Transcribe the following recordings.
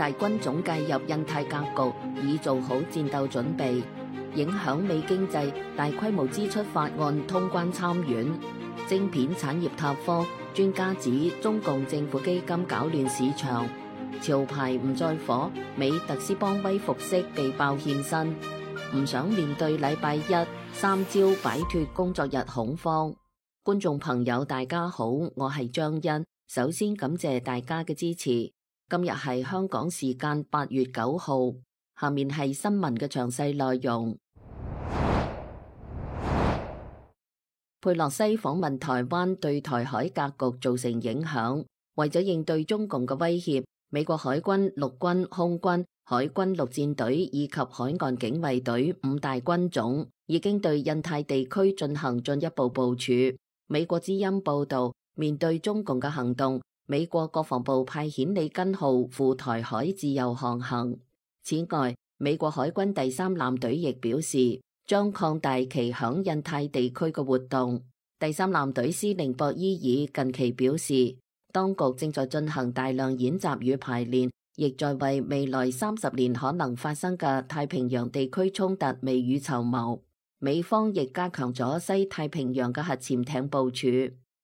大軍總介入印太格局，以做好戰鬥準備。影響美經濟大規模支出法案通關參院。晶片產業塌方，專家指中共政府基金搞亂市場。潮牌唔再火，美特斯邦威服飾被爆欠薪。唔想面對禮拜一3朝擺脫工作日恐慌。觀眾朋友大家好，我係張欣，首先感謝大家嘅支持。今日係香港時間8月9號，下面係新聞嘅詳細內容。佩洛西訪問台灣對台海格局造成影響，為咗應對中共嘅威脅，美國海軍、陸軍、空軍、海軍陸戰隊以及海岸警衛隊5大軍種已經對印太地區進行進一步部署。美國之音報道，面對中共嘅行動，美國國防部派遣里根號赴台海自由航行。此外，美國海軍第3艦隊亦表示，將擴大其響印太地區嘅活動。第3艦隊司令博伊爾近期表示，當局正在進行大量演習與排練，亦在為未來30年可能發生嘅太平洋地區衝突未雨綢繆。美方亦加強咗西太平洋嘅核潛艇部署，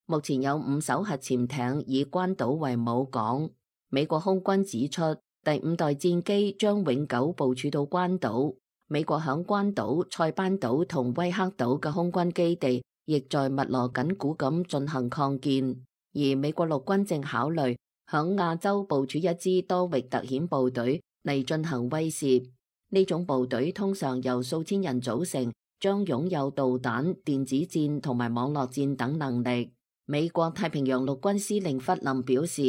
目前有5艘核潛艇以關島為母港。美國空軍指出，第5代戰機將永久部署到關島。美國響關島、塞班島同威克島嘅空軍基地，亦在密鑼緊鼓咁進行擴建。而美國陸軍正考慮響亞洲部署一支多域特遣部隊嚟進行威懾。呢種部隊通常由數千人組成，將擁有導彈、電子戰同埋網絡戰等能力。美國太平洋陸軍司令弗林表示，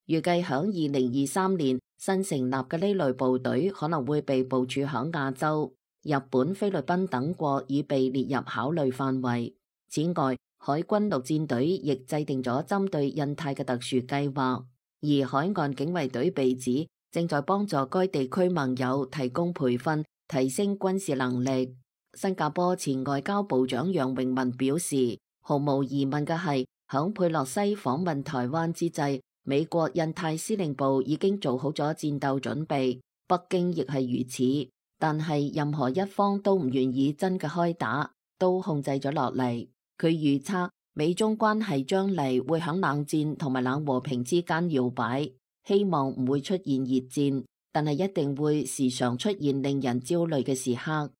預計響2023年新成立嘅呢類部隊可能會被部署響亞洲。日本、菲律賓等國已被列入考慮範圍。此外，海軍陸戰隊亦制定咗針對印太嘅特殊計劃，而海岸警衛隊被指正在幫助該地區盟友提供培訓，提升軍事能力。新加坡前外交部長楊永文表示，毫無疑問嘅係，響佩洛西訪問台灣之際，美國印太司令部已經做好咗戰鬥準備，北京亦係如此。但係任何一方都唔願意真嘅開打，都控制咗落嚟。佢預測美中關係將嚟會響冷戰同埋冷和平之間搖擺，希望唔會出現熱戰，但係一定會時常出現令人焦慮嘅時刻。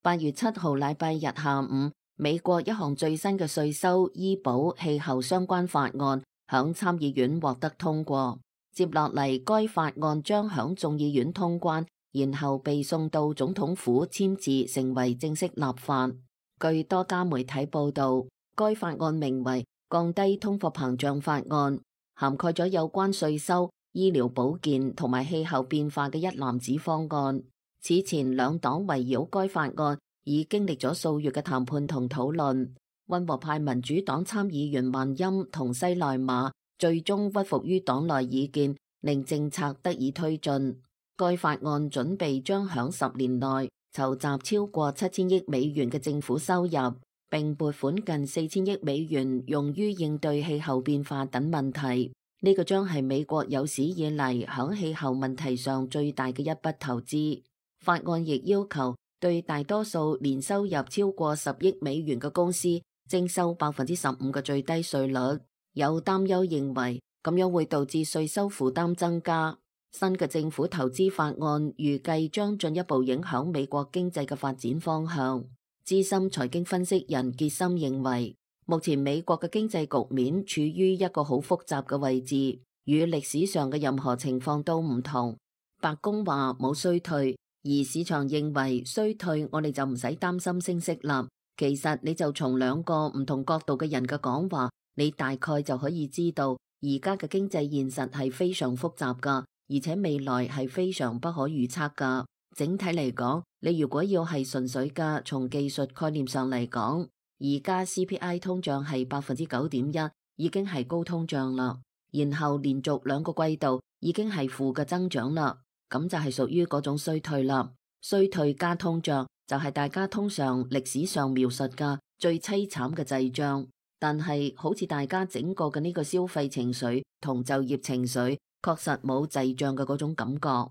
8月7號禮拜日下午，美國一項最新嘅稅收、醫保、氣候相關法案響參議院獲得通過。接落嚟，該法案將響眾議院通關，然後被送到總統府簽字，成為正式立法。據多家媒體報道，該法案名為降低通貨膨脹法案，涵蓋咗有關稅收、醫療保健同埋氣候變化嘅一籃子方案。此前兩黨圍繞該法案已經歷咗數月嘅談判同討論。溫和派民主黨參議員萬欽同西內馬最終屈服於黨內意見，令政策得以推進。該法案準備將響10年內籌集超過7000億美元嘅政府收入，並撥款近4000億美元用於應對氣候變化等問題。呢個將係美國有史以嚟響氣候問題上最大嘅一筆投資。法案亦要求對大多數年收入超過10億美元嘅公司徵收15%嘅最低稅率。有擔憂認為咁樣會導致稅收負擔增加。新嘅政府投資法案預計將進一步影響美國經濟嘅發展方向。資深財經分析人傑森認為，目前美國嘅經濟局面處於一個好複雜嘅位置，與歷史上嘅任何情況都唔同。白宮話冇衰退，而市場認為衰退，我哋就唔使擔心升息啦。其實你就從兩個唔同角度嘅人嘅講話，你大概就可以知道，而家嘅經濟現實係非常複雜噶，而且未來係非常不可預測噶。整體嚟講，你如果要係純粹嘅從技術概念上嚟講，而家 CPI 通脹係9.1%，已經係高通脹啦。然後連續2個季度已經係負嘅增長啦，咁就係屬於嗰種衰退啦。衰退加通脹就係大家通常歷史上描述嘅最淒慘嘅滯脹。但係好似大家整個嘅呢個消費情緒同就業情緒，確實冇滯脹嘅嗰種感覺。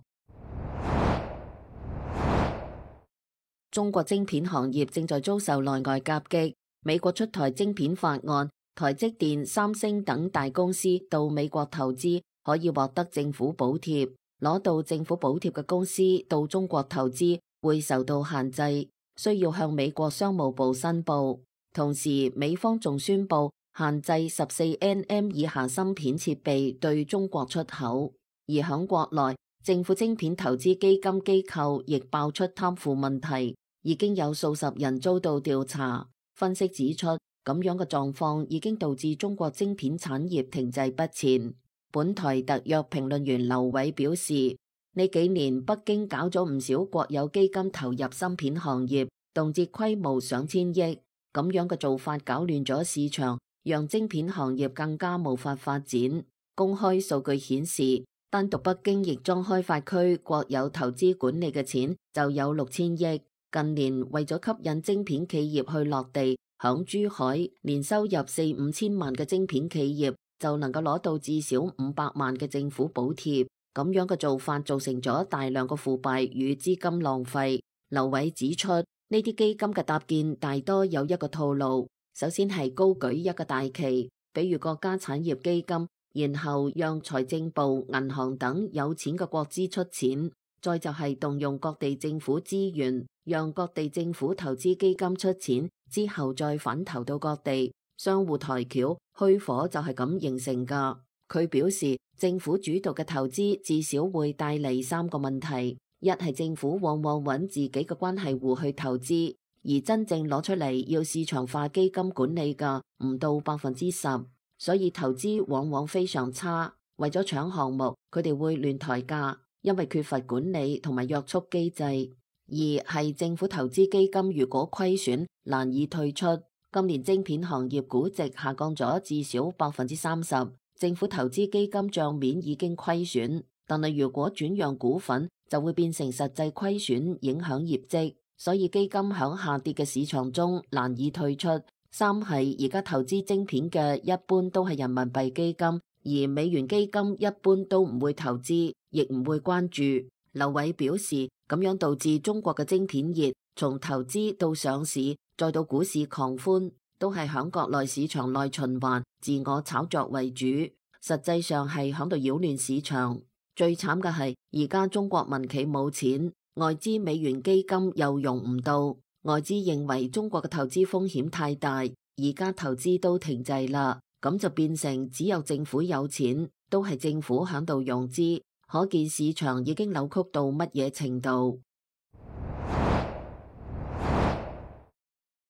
中國晶片行業正在遭受內外夾擊，美國出台晶片法案，台積電、三星等大公司到美國投資可以獲得政府補貼，攞到政府補貼嘅公司到中國投資會受到限制，需要向美國商務部申報。同時，美方仲宣布限制14nm以下芯片設備對中國出口。而響國內，政府晶片投資基金機構亦爆出貪腐問題，已經有數十人遭到調查。分析指出，咁樣嘅狀況已經導致中國晶片產業停滯不前。本台特約評論員劉偉表示，呢幾年北京搞咗唔少國有基金投入芯片行業，動輒規模上千億。咁樣嘅做法搞亂咗市場，讓晶片行業更加無法發展。公開數據顯示，單獨北京亦莊開發區國有投資管理嘅錢就有6000億。近年為咗吸引晶片企業去落地，響珠海年收入4-5千萬嘅晶片企業就能夠攞到至少500萬嘅政府補貼。咁樣嘅做法造成咗大量嘅腐敗與資金浪費。劉偉指出，呢啲基金嘅搭建大多有一個套路，首先係高舉一個大旗，比如國家產業基金，然後讓財政部、銀行等有錢嘅國資出錢，再就係動用各地政府資源，讓各地政府投資基金出錢，之後再反投到各地，相互抬轎，虛火就係咁形成噶。佢表示，政府主導嘅投資至少會帶嚟3個問題。一係政府往往揾自己嘅關係戶去投資，而真正攞出嚟要市場化基金管理嘅唔到10%，所以投資往往非常差。為咗搶項目，佢哋會亂抬價，因為缺乏管理同埋約束機制。二係政府投資基金如果虧損，難以退出。今年晶片行業估值下降咗至少30%，政府投資基金賬面已經虧損，但係如果轉讓股份，就會變成實際虧損，影響業績，所以基金響下跌嘅市場中難以退出。三係而家投資晶片嘅一般都係人民幣基金，而美元基金一般都唔會投資，亦唔會關注。劉偉表示，咁樣導致中國嘅晶片業從投資到上市，再到股市狂歡，都係響國內市場內循環，自我炒作為主，實際上係響度擾亂市場。最慘嘅係，而家中國民企冇錢，外資美元基金又用唔到，外資認為中國嘅投資風險太大，而家投資都停滯啦，咁就變成只有政府有錢，都係政府響度融資，可見市場已經扭曲到乜嘢程度。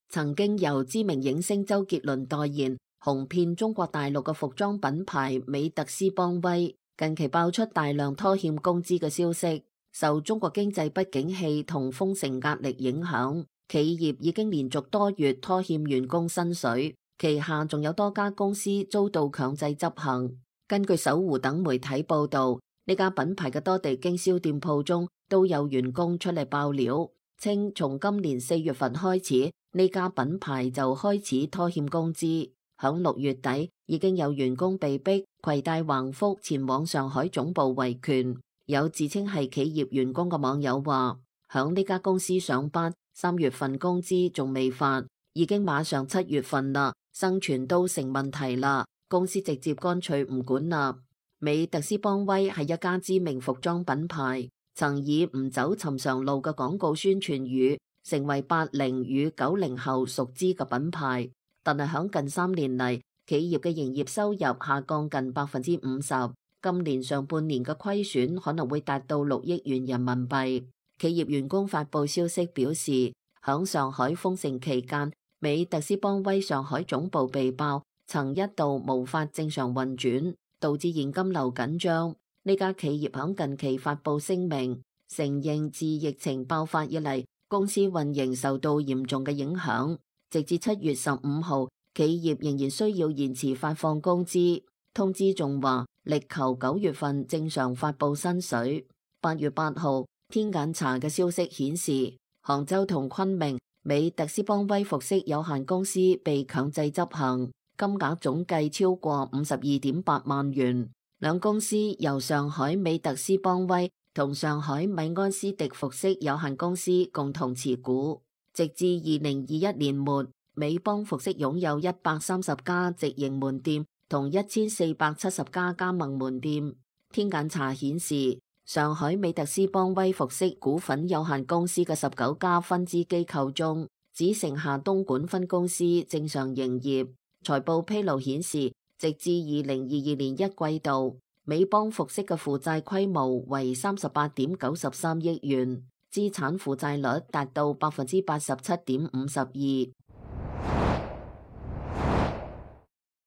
曾經由知名影星周杰倫代言，紅遍中國大陸嘅服裝品牌美特斯邦威，近期爆出大量拖欠工資嘅消息，受中國經濟不景氣同封城壓力影響，企業已經連續多月拖欠員工薪水，旗下仲有多家公司遭到強制執行。根據搜狐等媒體報道，呢家品牌嘅多地經銷店鋪中都有員工出嚟爆料，稱從今年4月份開始，呢家品牌就開始拖欠工資。響6月底，已經有員工被逼攜帶橫幅前往上海總部維權。有自稱係企業員工嘅網友話，響呢家公司上班，3月份工資仲未發，已經馬上7月份啦，生存都成問題啦，公司直接乾脆唔管啦。美特斯邦威係一家知名服裝品牌，曾以唔走尋常路嘅廣告宣傳語，成為80與90後熟知嘅品牌。但係響近3年嚟，企業嘅營業收入下降近50%，今年上半年嘅虧損可能會達到6億元人民幣。企業員工發佈消息表示，響上海封城期間，美特斯邦威上海總部被爆，曾一度無法正常運轉，導致現金流緊張。呢家企業響近期發佈聲明，承認自疫情爆發以嚟，公司運營受到嚴重嘅影響。直至7月15號，企業仍然需要延遲發放工資。通知仲話，力求9月份正常發佈薪水。8月8號，天眼查嘅消息顯示，杭州同昆明美特斯邦威服飾有限公司被強制執行，金額總計超過52.8萬元。兩公司由上海美特斯邦威同上海米安斯迪服飾有限公司共同持股。直至2021年末，美邦服飾擁有130家直營門店同1470家加盟門店。天眼查顯示，上海美特斯邦威服飾股份有限公司嘅19家分支機構中，只剩下東莞分公司正常營業。財報披露顯示，直至2022年一季度，美邦服飾嘅負債規模為38.93億元，資產負債率達到87.52%。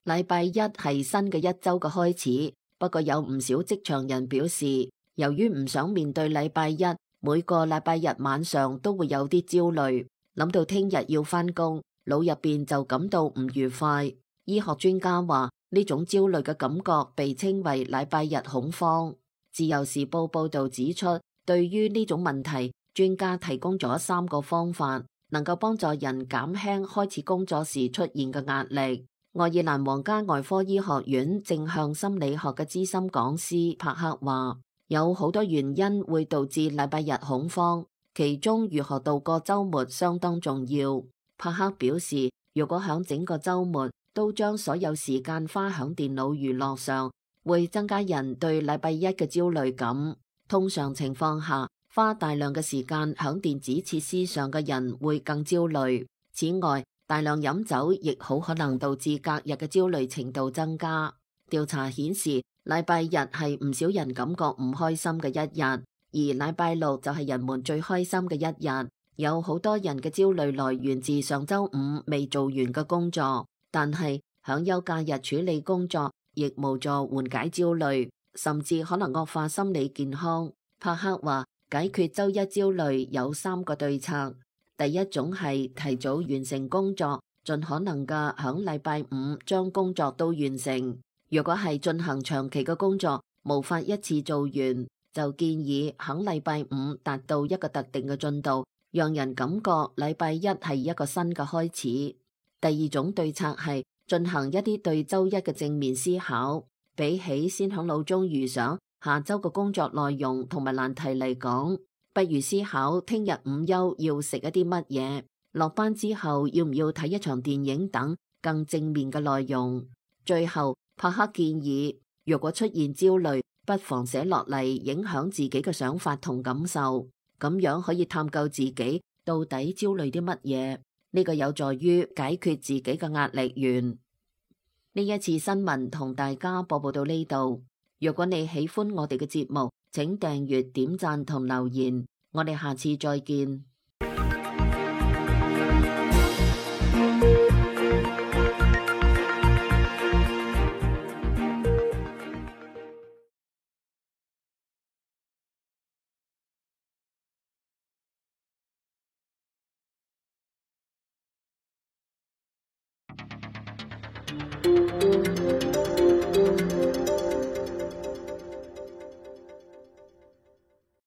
禮拜一係新嘅一週嘅開始，不過有唔少職場人表示，由於唔想面對禮拜一，每個禮拜日晚上都會有啲焦慮，諗到聽日要返工，腦入邊就感到唔愉快。醫學專家話，呢種焦慮嘅感覺被稱為禮拜日恐慌。自由時報報道指出，對於呢種問題，專家提供咗3個方法，能夠幫助人減輕開始工作時出現嘅壓力。愛爾蘭皇家外科醫學院正向心理學嘅資深講師帕克話，有好多原因會導致禮拜日恐慌，其中如何度過週末相當重要。帕克表示，如果響整個週末都將所有時間花響電腦娛樂上，會增加人對禮拜一嘅焦慮感。通常情況下，花大量嘅時間響電子設施上嘅人會更焦慮。此外，大量飲酒亦好可能導致隔日嘅焦慮程度增加。調查顯示，禮拜日係唔少人感覺唔開心嘅一日，而禮拜六就係人們最開心嘅一日。有好多人嘅焦慮來源自上週五未做完嘅工作，但係響休假日處理工作亦無助緩解焦慮，甚至可能惡化心理健康。帕克話，解決週一焦慮有3個對策。第一種係提早完成工作，盡可能嘅響禮拜五將工作都完成。如果係進行長期嘅工作，無法一次做完，就建議響禮拜五達到一個特定嘅進度，讓人感覺禮拜一係一個新嘅開始。第二種對策係進行一啲對週一嘅正面思考，比起先響腦中預想下週嘅工作內容同埋難題嚟講，不如思考聽日午休要食一啲乜嘢，落班之後要唔要睇一場電影等更正面嘅內容。最後，帕克建議，如果出現焦慮，不妨寫落嚟影響自己嘅想法同感受，咁樣可以探究自己到底焦慮啲乜嘢。呢個有助於解決自己嘅壓力源。呢一次新聞同大家播報到呢度。如果你喜歡我哋嘅節目，請訂閱、點讚同留言。我哋下次再見。